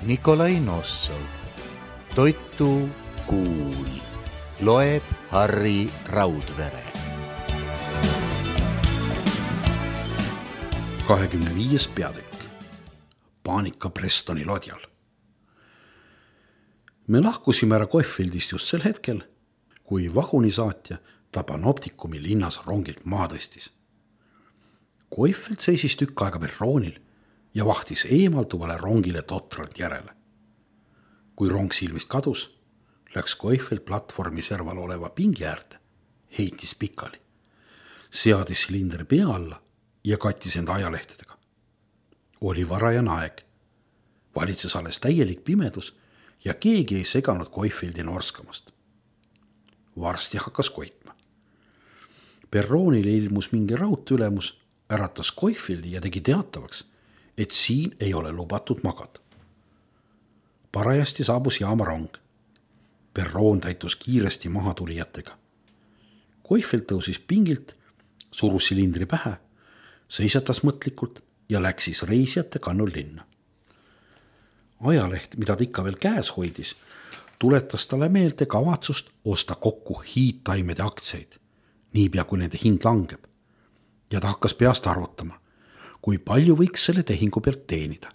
Nikolai Nossov. Toitu kuul. Loeb Harri Raudvere. 25. peatükk. Paanika Prestoni lodjal. Me lahkusime ära Kohvildist just sel hetkel, kui vagunisaatja ta Panoptikumi linnas rongilt maha tõstis. Kohvild seisis tükk aega perroonil ja vahtis eemalduvale rongile totralt järele. Kui rong silmist kadus, läks Kohvild platvormi serval oleva pingi äärde, heitis pikali, seadis silindri pea alla ja kattis enda ajalehtedega. Oli varajane aeg. Valitses alles täielik pimedus ja keegi ei seganud Kohvildi norskamast. Varsti hakkas koitma. Perroonile ilmus mingi raudteülemus, äratas Kohvildi ja tegi teatavaks, et siin ei ole lubatud magada. Parajasti saabus jaamarong. Perroon täitus kiiresti mahatulijatega. Kohvild tõusis pingilt, surus silindri pähe, seisatas mõtlikult ja läksis reisijate kannul linna. Ajaleht, mida ta ikka veel käes hoidis, tuletas talle meelde kavatsust osta kokku hiidtaimede aktsiaid, niipea kui nende hind langeb. Ja ta hakkas peast arvutama, kui palju võiks selle tehingu pealt teenida.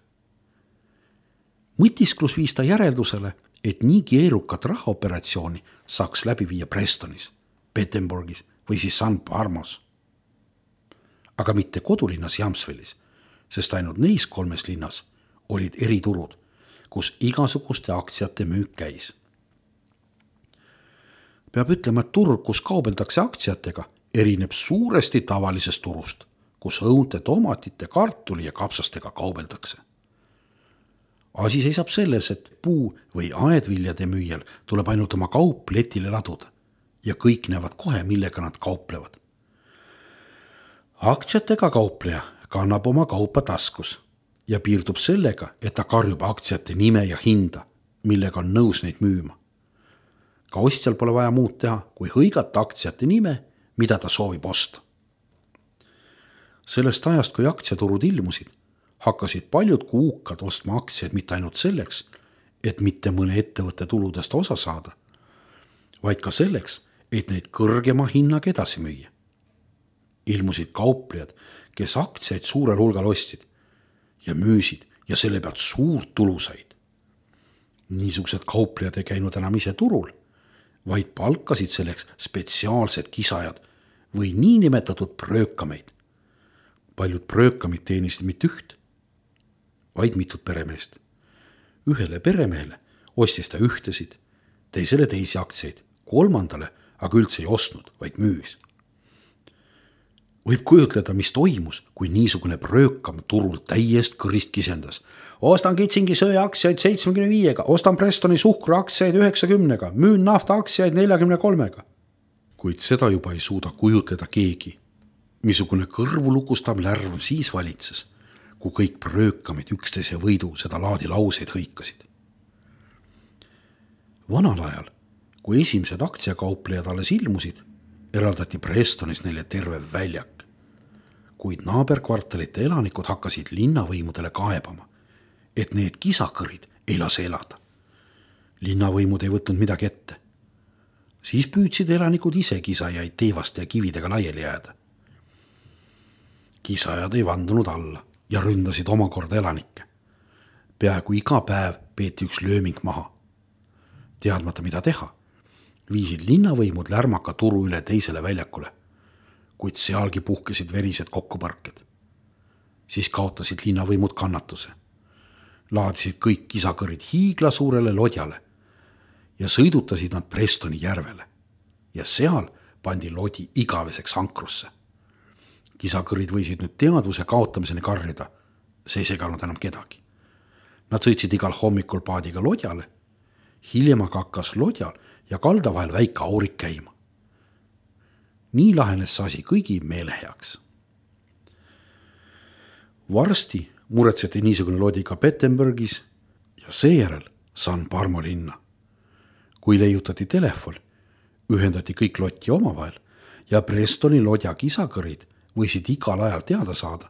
Mõtisklus viis ta järeldusele, et nii keerukat rahaoperatsiooni saaks läbi viia Prestonis, Petersburgis või siis San Parmos. Aga mitte kodulinnas Jamsvelis, sest ainult neis 3 linnas olid eriturud, kus igasuguste aktsiate müük käis. Peab ütlema, et turg, kus kaubeldakse aktsiatega, erineb suuresti tavalisest turust, kus õunte, tomatite, kartuli ja kapsastega kaubeldakse. Asi seisab selles, et puu- või aedviljade müüjal tuleb ainult oma kaup letile laduda ja kõik näevad kohe, millega nad kauplevad. Aktsiatega kaupleja kannab oma kaupa taskus ja piirdub sellega, et ta karjub aktsiate nime ja hinda, millega on nõus neid müüma. Ka ostjal pole vaja muud teha, kui hõigata aktsiate nime, mida ta soovib osta. Sellest ajast, kui aktsiaturud ilmusid, hakkasid paljud kuukad ostma aktsiaid mitte ainult selleks, et mitte mõne ettevõtte tuludest osa saada, vaid ka selleks, et neid kõrgema hinnaga edasi müüa. Ilmusid kauplejad, kes aktsiaid suurel hulgal ostsid ja müüsid ja selle pealt suurt tulu said. Niisugused kauplejad ei käinud enam ise turul, vaid palkasid selleks spetsiaalsed kisajad või niinimetatud pröökameid. Paljud pröökamid teenisid mitte üht, vaid mitut peremeest. Ühele peremehele ostis ta ühtesid, teisele teisi aktsiaid, kolmandale aga üldse ei ostnud, vaid müüs. Võib kujutleda, mis toimus, kui niisugune pröökam turul täiest kõrist kisendas. Ostan Kitsingi söe aktsiaid 75-ga, ostan Prestoni suhkru aktsiaid 90-ga, müün nafta aktsiaid 43-ga. Kuid seda juba ei suuda kujutleda keegi. Missugune kõrvulukustav lärv siis valitses, kui kõik pröökamid üksteise võidu seda laadi lauseid hõikasid. Vanal ajal, kui esimesed aktsiakauplejad alles ilmusid, eraldati Prestonis neile terve väljak. Kuid naaberkvartalite elanikud hakkasid linnavõimudele kaebama, et need kisakõrid ei lase elada. Linnavõimud ei võtnud midagi ette. Siis püüdsid elanikud ise kisajaid teevaste ja kividega laiali jääda. Kisajad ei vandunud alla ja ründasid omakorda elanikke. Peaaegu iga päev peeti üks lööming maha. Teadmata, mida teha, viisid linnavõimud lärmaka turu üle teisele väljakule, kuid sealgi puhkesid verised kokkupõrked. Siis kaotasid linnavõimud kannatuse. Laadisid kõik kisakõrid hiigla suurele lodjale ja sõidutasid nad Prestoni järvele. Ja seal pandi lodi igaveseks ankrusse. Kisakõrid võisid nüüd teadvuse kaotamiseni karjuda, see ei seganud enam kedagi. Nad sõitsid igal hommikul paadiga lodjale, hiljem aga hakkas lodjal ja kalda vahel väike aurik käima. Nii lahenes asi kõigi meele heaks. Varsti muretseti niisugune lodi ka Petersburgis ja seejärel San Parmo linna. Kui leiutati telefon, ühendati kõik lotti omavahel ja Prestoni lodja kisakõrid võisid igal ajal teada saada,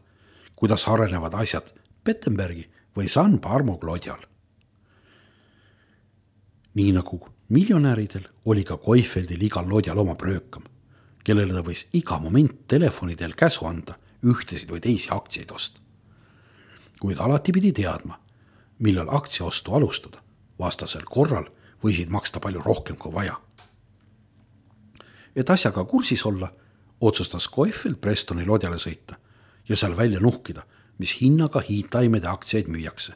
kuidas arenevad asjad Petersburgi või San Parmo lodjal. nii nagu miljonäridel oli ka Koifeldil igal lodjal oma pröökam, kellele ta võis iga moment telefonidel käsu anda ühtesid või teisi aktsiaid osta. Kuid alati pidi teadma, millal aktsiaostu alustada, vastasel korral võisid maksta palju rohkem kui vaja. Et asjaga kursis olla, otsustas Koifeld Prestoni lodjale sõita ja seal välja nuhkida, mis hinnaga hiidtaimede aktsiaid müüakse.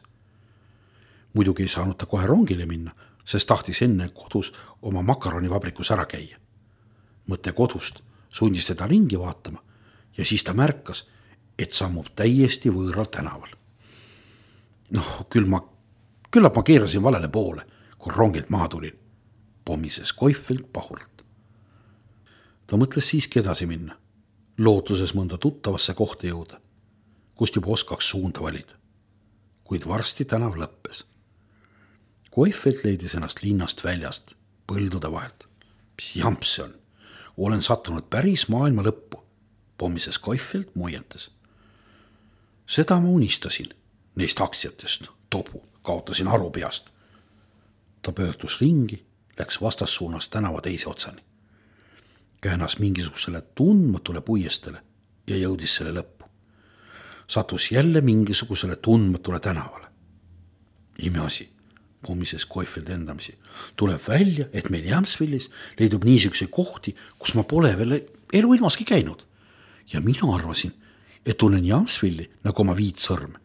Muidugi ei saanud ta kohe rongile minna, sest tahtis enne kodus oma makaronivabrikus ära käia. Mõte kodust sundis teda ringi vaatama ja siis ta märkas, et sammub täiesti võõral tänaval. Küllap ma keerasin valele poole, kui rongilt maha tulin, pommises Koifeld pahuralt. Ta mõtles siiski edasi minna, lootuses mõnda tuttavasse kohta jõuda, kust juba oskaks suunda valida. Kuid varsti tänav lõppes. Koifeld leidis ennast linnast väljast, põldude vahelt. Mis jamps see on? Olen sattunud päris maailma lõppu, pommises Koifeld muiates. Seda ma unistasin neist aktsiatest, tobu, kaotasin aru peast. Ta pöördus ringi, läks vastassuunas tänava teise otsani. Käänas mingisugusele tundmatule puiestele ja jõudis selle lõppu. Sattus jälle mingisugusele tundmatule tänavale. Imeasi, pommises Koifeld endamisi. Tuleb välja, et meil Jamsvillis leidub niisuguse kohti, kus ma pole veel elu ilmaski käinud. Ja mina arvasin, et tunnen Jamsvilli nagu oma 5 sõrme.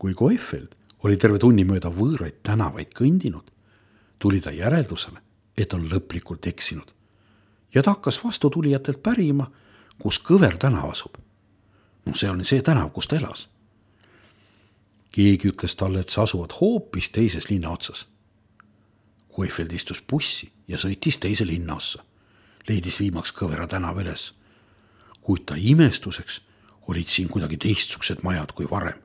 Kui Koifeld oli terve tunni mööda võõraid tänavaid kõndinud, tuli ta järeldusele, et on lõplikult eksinud. Ja ta hakkas vastutulijatelt pärima, kus Kõver tänav asub. See oli see tänav, kus ta elas. Keegi ütles talle, et sa asuvad hoopis teises linna otsas. Koifeld istus bussi ja sõitis teise linna ossa. Leidis viimaks Kõvera tänav üles. Kuid ta imestuseks olid siin kuidagi teistsugused majad kui varem.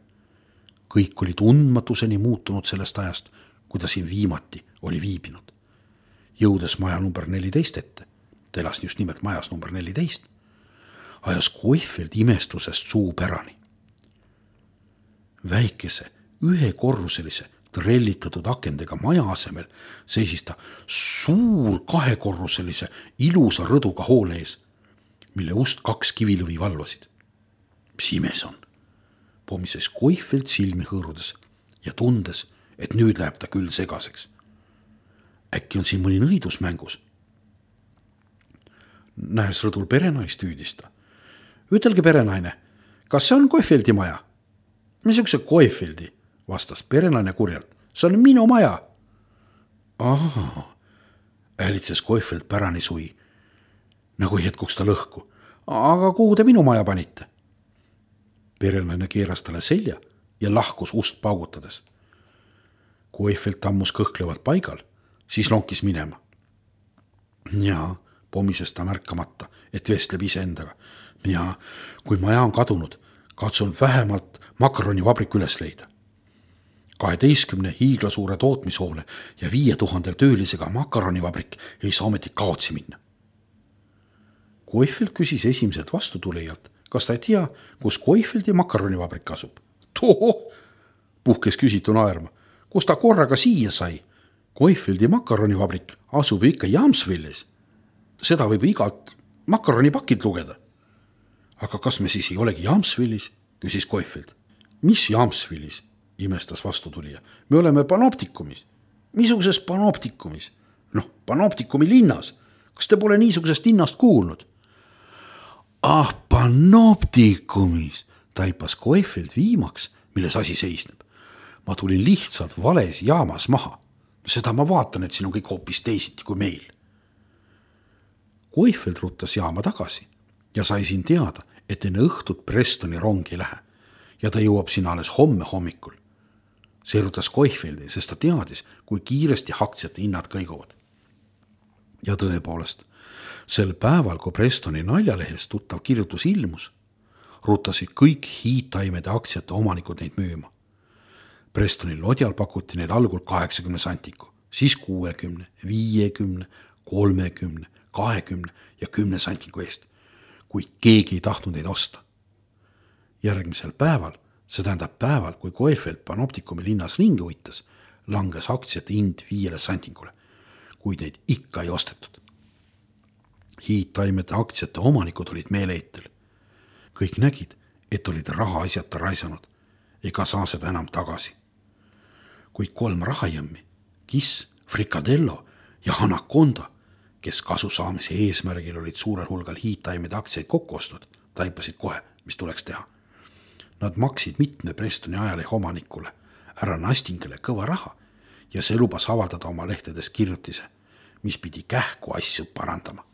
Kõik oli tundmatuseni muutunud sellest ajast, kui ta siin viimati oli viibinud. Jõudes maja number 14 ette, ta elas just nimelt majas number 14, ajas Koifeld imestusest suu pärani. Väikese, ühekorruselise, trellitatud akendega maja asemel seisis ta suur 2-korruselise ilusa rõduga hoone ees, mille ust 2 kivilõvi valvasid. Mis imes on? Pommises Koifeld silmi hõõrudes ja tundes, et nüüd läheb ta küll segaseks. Äkki on siin mõni nõidus mängus? Nähes rõdul perenaist hüüdis ta. Ütelge perenaine, kas see on Koifeldi maja? Missuguse Koifeldi, vastas perenaine kurjalt. See on minu maja. Äälitses Koifeld pärani sui, nagu hetkuks ta lõhku. Aga kuhu te minu maja panite? Perenaine keeras talle selja ja lahkus ust paugutades. Koifeld tammus kõhklevalt paigal, siis lonkis minema. Jaa, pommises ta märkamata, et vestleb iseendaga. Jaa, kui maja on kadunud, katsun vähemalt makaronivabrik üles leida. 12 hiiglasuure tootmishoone ja 5000 töölisega makaronivabrik ei saa ometi kaotsi minna. Koifeld küsis esimesed vastutulijalt, kas ta ei tea, kus Koifeldi makaronivabrik asub. Toho, puhkes küsitu naerma. Kus ta korraga siia sai? Koifeldi makaronivabrik asub ikka Jamsvillis. Seda võib igalt makaronipakilt lugeda. Aga kas me siis ei olegi Jamsvillis? Küsis Koifeld. Mis Jamsvillis? Imestas vastutulija. Me oleme Panoptikumis. Missuguses Panoptikumis? Panoptikumi linnas. Kas te pole niisugusest linnast kuulnud? Panoptikumis, taipas Koifeld viimaks, milles asi seisneb. Ma tulin lihtsalt vales jaamas maha. Seda ma vaatan, et siin on kõik hoopis teisiti kui meil. Koifeld ruttas jaama tagasi ja sai siin teada, et enne õhtut Prestoni rong ei lähe ja ta jõuab sinna alles homme hommikul. See rutas Koifeldi, sest ta teadis, kui kiiresti aktsiate hinnad kõiguvad. Ja tõepoolest, sel päeval, kui Prestoni naljalehes tuttav kirjutus ilmus, rutasid kõik hiidtaimede aktsiate omanikud neid müüma. Prestoni lodjal pakuti neid algul 80 santiku, siis 60, 50, 30, 20 ja 10 santiku eest, kuid keegi ei tahtnud neid osta. Järgmisel päeval, see tähendab päeval, kui Koifeld Panoptikumi linnas ringi uitas, langes aktsiate hind 5 santingule, kuid neid ikka ei ostetud. Hiidtaimede aktsiate omanikud olid meeleheitel. Kõik nägid, et olid raha asjata raisanud ega saa seda enam tagasi. Kuid 3 rahajõmmi, Kiss, Frikadello ja Anaconda, kes kasu saamise eesmärgil olid suurel hulgal hiidtaimede aktsiaid kokku ostnud, taipasid kohe, mis tuleks teha. Nad maksid mitme Prestoni ajalehe omanikule, härra Nastingile kõva raha ja see lubas avaldada oma lehtedes kirjutise, mis pidi kähku asju parandama.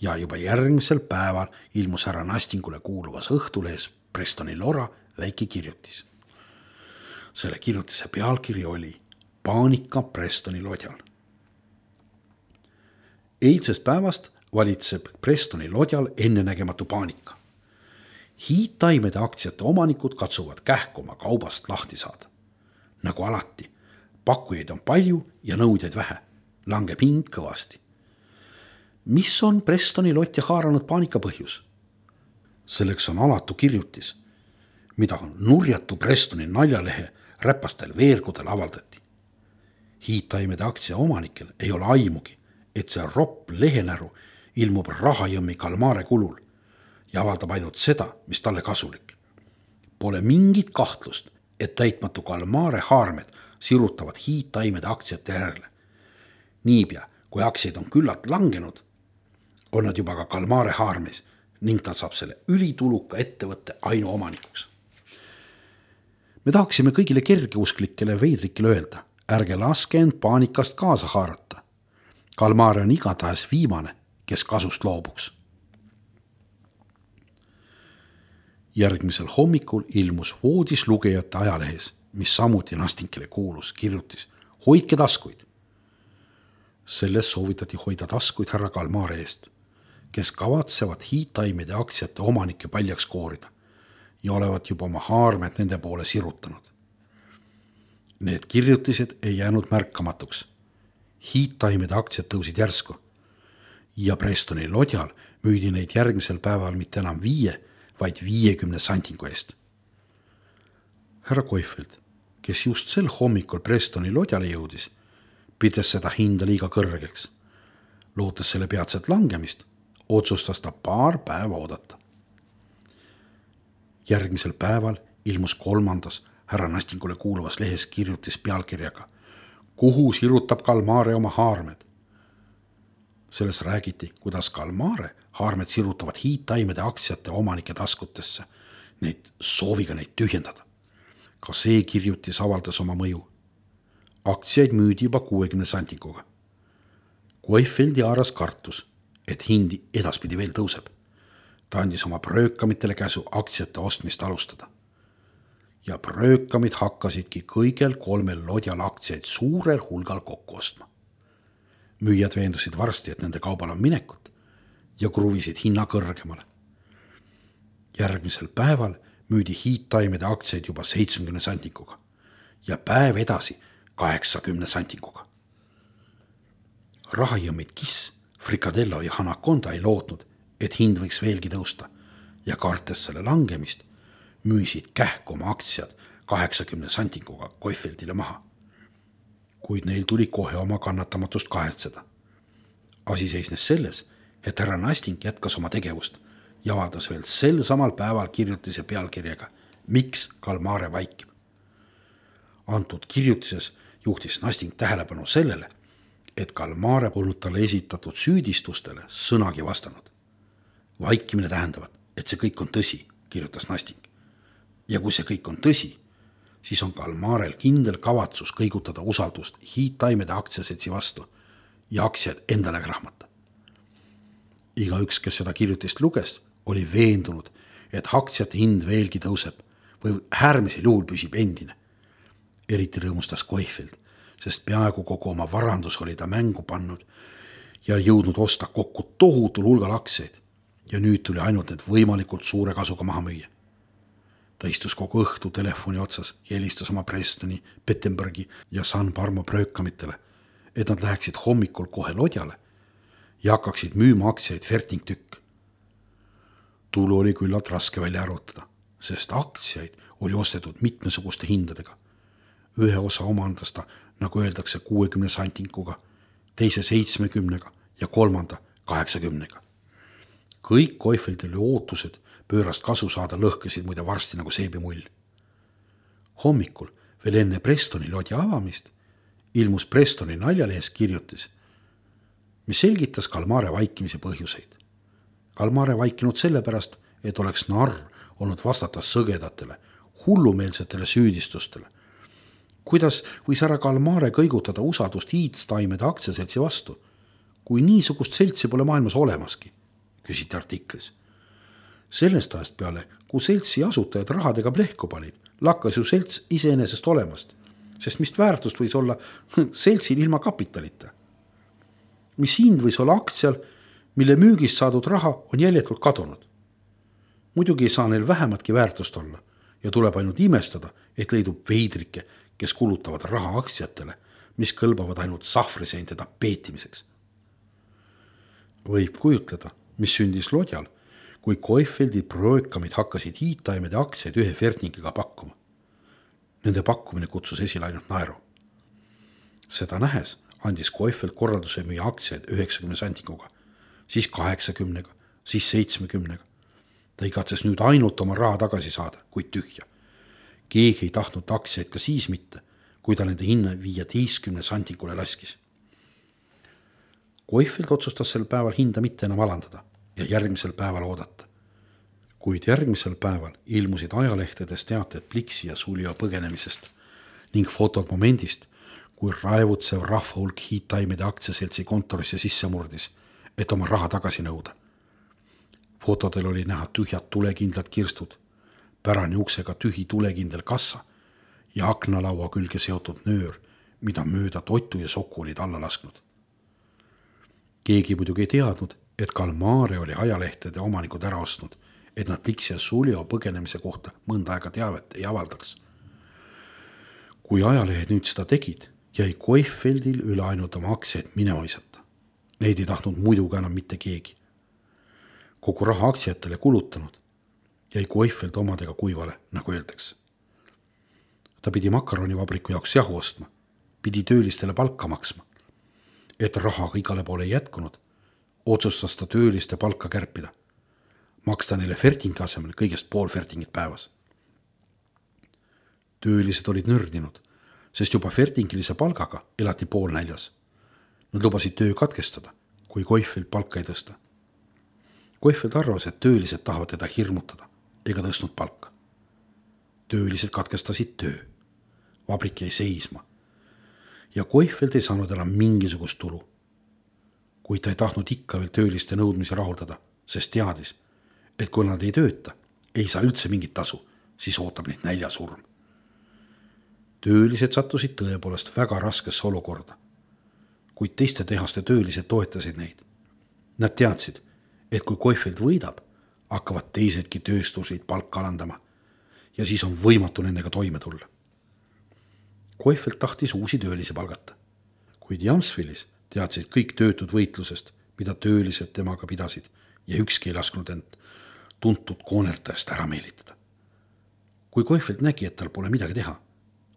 Ja juba järgmisel päeval ilmus härra Nastingule kuuluvas õhtulehes Prestoni Lora väike kirjutis. Selle kirjutise pealkiri oli Paanika Prestoni lodjal. Eilsest päevast valitseb Prestoni lodjal ennenägematu paanika. Hiidtaimede aktsiate omanikud katsuvad kähku oma kaubast lahti saada. Nagu alati, pakkujaid on palju ja nõudjaid vähe, langeb hind kõvasti. Mis on Prestoni lotja haaranud paanika põhjus? Selleks on alatu kirjutis, mida on nurjatu Prestoni naljalehe räpastel veergudel avaldati. Hiidtaimede aktsia omanikel ei ole aimugi, et see ropp lehenäru ilmub rahajõmmi Kalmare kulul ja avaldab ainult seda, mis talle kasulik. Pole mingit kahtlust, et täitmatu Kalmare haarmed sirutavad hiidtaimede aktsiate järele. Niipea, kui aktsiaid on küllalt langenud, on nad juba ka Kalmare haarmes ning ta saab selle ülituluka ettevõtte ainuomanikuks. Me tahaksime kõigile kergeusklikele veidrikele öelda, ärge laske end paanikast kaasa haarata. Kalmare on igatahes viimane, kes kasust loobuks. Järgmisel hommikul ilmus voodis lugejate ajalehes, mis samuti Nastingile kuulus, kirjutis hoidke taskuid. Selles soovitati hoida taskuid härra Kalmare eest, kes kavatsevad hiidtaimede aktsiate omanike paljaks koorida ja olevat juba oma haarmed nende poole sirutanud. Need kirjutised ei jäänud märkamatuks. Hiidtaimede aktsiad tõusid järsku ja Prestoni lodjal müüdi neid järgmisel päeval mitte enam 5, vaid 50 santingu eest. Härra Koifeld, kes just sel hommikul Prestoni lodjale jõudis, pides seda hinda liiga kõrgeks. Lootes selle peatset langemist, otsustas ta paar päeva oodata. Järgmisel päeval ilmus 3. härra Nastingule kuuluvas lehes kirjutis pealkirjaga Kuhu sirutab Kalmare oma haarmed? Selles räägiti, kuidas Kalmare haarmed sirutavad hiidtaimede aktsiate omanike taskutesse, neid sooviga neid tühjendada. Ka see kirjutis avaldas oma mõju. Aktsiaid müüdi juba 60 santinguga. Koifeldi haaras kartus, et hindi edaspidi veel tõuseb. Ta andis oma pröökamitele käsu aktsiate ostmist alustada. Ja pröökamid hakkasidki kõigel 3 lodjal aktsiaid suurel hulgal kokku ostma. Müüjad veendusid varsti, et nende kaubal on minekut ja kruvisid hinna kõrgemale. Järgmisel päeval müüdi hiidtaimede aktsiaid juba 70 santinguga ja päev edasi 80 santinguga. Rahajõmmid Kiss, Frikadello ja Anaconda ei lootnud, et hind võiks veelgi tõusta ja kartes selle langemist müüsid kähku oma aktsiad 80 santinguga Koifeldile maha. Kuid neil tuli kohe oma kannatamatust kahetseda. Asi seisnes selles, et härra Nasting jätkas oma tegevust ja avaldas veel sel samal päeval kirjutise pealkirjaga Miks Kalmare vaikib. Antud kirjutises juhtis Nasting tähelepanu sellele, et Kalmare polnud talle esitatud süüdistustele sõnagi vastanud. Vaikimine tähendavad, et see kõik on tõsi, kirjutas Nasting. Ja kui see kõik on tõsi, siis on Kalmarel kindel kavatsus kõigutada usaldust hiidtaimede aktsiaseltsi vastu ja aktsiad endale krahmata. Igaüks, kes seda kirjutist luges, oli veendunud, et aktsiate hind veelgi tõuseb või äärmisel juhul püsib endine. Eriti rõõmustas Koifeld, sest peaaegu kogu oma varandus oli ta mängu pannud ja jõudnud osta kokku tohutul hulgal aktsiaid ja nüüd tuli ainult need võimalikult suure kasuga maha müüa. Ta istus kogu õhtu telefoni otsas ja helistas oma Prestoni, Pettenbergi ja San Parmo pröökamitele, et nad läheksid hommikul kohe lodjale ja hakkaksid müüma aktsiaid fertingtükk. Tulu oli küllalt raske välja arvutada, sest aktsiaid oli ostetud mitmesuguste hindadega. ühe osa omandas ta, nagu öeldakse, 60 santikuga, teise 70 ja kolmanda 80. Kõik Koefeldile ootused pöörast kasu saada lõhkesid muide varsti nagu seebimull. Hommikul, veel enne Prestoni lodi avamist, ilmus Prestoni naljalehes kirjutis, mis selgitas Kalmare vaikimise põhjuseid. Kalmare vaikinud sellepärast, et oleks narr olnud vastata sõgedatele, hullumeelsetele süüdistustele. Kuidas võis ära Kalmare kõigutada usaldust hiidstaimede aktsiaseltsi vastu, kui niisugust seltsi pole maailmas olemaski, küsiti artiklis. Sellest ajast peale, kui seltsi asutajad rahadega plehku panid, lakkas ju selts iseenesest olemast, sest mis väärtust võis olla seltsil ilma kapitalita. Mis hind võis olla aktsial, mille müügist saadud raha on jäljetult kadunud. Muidugi ei saa neil vähematki väärtust olla ja tuleb ainult imestada, et leidub veidrike, kes kulutavad raha aktsiatele, mis kõlbavad ainult sahvriseinte tapeetimiseks. Võib kujutleda, mis sündis lodjal, kui Koefeldi projõkamid hakkasid hiidtaimede aktsiaid ühe Fertningiga pakkuma. Nende pakkumine kutsus esile ainult naeru. Seda nähes andis Koefeld korralduse müüa aktsiaid 90 santikuga, siis 80, siis 70. Ta igatses nüüd ainult oma raha tagasi saada, kuid tühja. Keegi ei tahtnud aktsiaid ka siis mitte, kui ta nende hinna 15 santikule laskis. Koefeld otsustas sel päeval hinda mitte enam alandada ja järgmisel päeval oodata. Kuid järgmisel päeval ilmusid ajalehtedes teated Pliksi ja Sulio põgenemisest ning fotod momendist, kui raevutsev rahvahulk hiidtaimede aktsiaseltsi kontorisse sisse murdis, et oma raha tagasi nõuda. Fotodel oli näha tühjad tulekindlad kirstud, pärani uksega tühi tulekindel kassa ja aknalaua külge seotud nöör, mida mööda Totu ja Soku olid alla lasknud. Keegi muidugi ei teadnud, et Kalmare oli ajalehtede omanikud ära ostnud, et nad Pliksi ja Sulio põgenemise kohta mõnda aega teavet ei avaldaks. Kui ajalehed nüüd seda tegid, jäi Koefeldil üle ainult oma aktsiaid minema visata. Neid ei tahtnud muidugi enam mitte keegi. Kogu raha aktsiatele kulutanud jäi Koefeld omadega kuivale, nagu öeldakse. Ta pidi makaronivabriku jaoks jahu ostma, pidi töölistele palka maksma. Et rahaga igale poole ei jätkunud, otsustas ta tööliste palka kärpida, maksta neile Fertingi asemel kõigest pool Fertingit päevas. Töölised olid nördinud, sest juba Fertingilise palgaga elati pool näljas. Nad lubasid töö katkestada, kui Koefeld palka ei tõsta. Koefeld arvas, et töölised tahavad teda hirmutada, ega tõstnud palka. Töölised katkestasid töö. Vabrik jäi seisma. Ja Koefeld ei saanud enam mingisugust tulu. Kuid ta ei tahtnud ikka veel tööliste nõudmisi rahuldada, sest teadis, et kui nad ei tööta, ei saa üldse mingit tasu, siis ootab neid näljasurm. Töölised sattusid tõepoolest väga raskesse olukorda, kuid teiste tehaste töölised toetasid neid. Nad teadsid, et kui Koefeld võidab, hakkavad teisedki tööstusid palka alandama ja siis on võimatu nendega toime tulla. Koefeld tahtis uusi töölisi palgata, kuid Jamsvillis teadsid kõik töötud võitlusest, mida töölised temaga pidasid ja ükski ei lasknud end tuntud koonertajast ära meelitada. Kui Koefeld nägi, et tal pole midagi teha,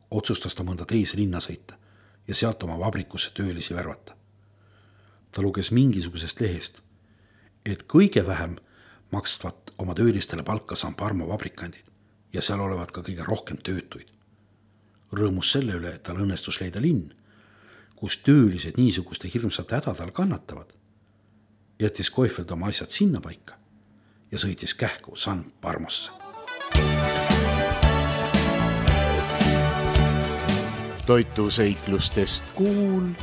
otsustas ta mõnda teise linna sõita ja sealt oma vabrikusse töölisi värvata. Ta luges mingisugusest lehest, et kõige vähem makstvat oma töölistele palka San Parmo vabrikandid ja seal olevat ka kõige rohkem töötuid. Rõõmus selle üle, et tal õnnestus leida linn, kus töölised niisuguste hirmsate hädadal kannatavad, jättis Koefeld oma asjad sinna paika ja sõitis kähku San Parmosse. Toituseiklustest kuul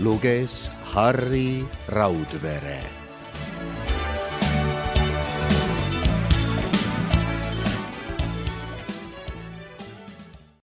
luges Harri Raudvere.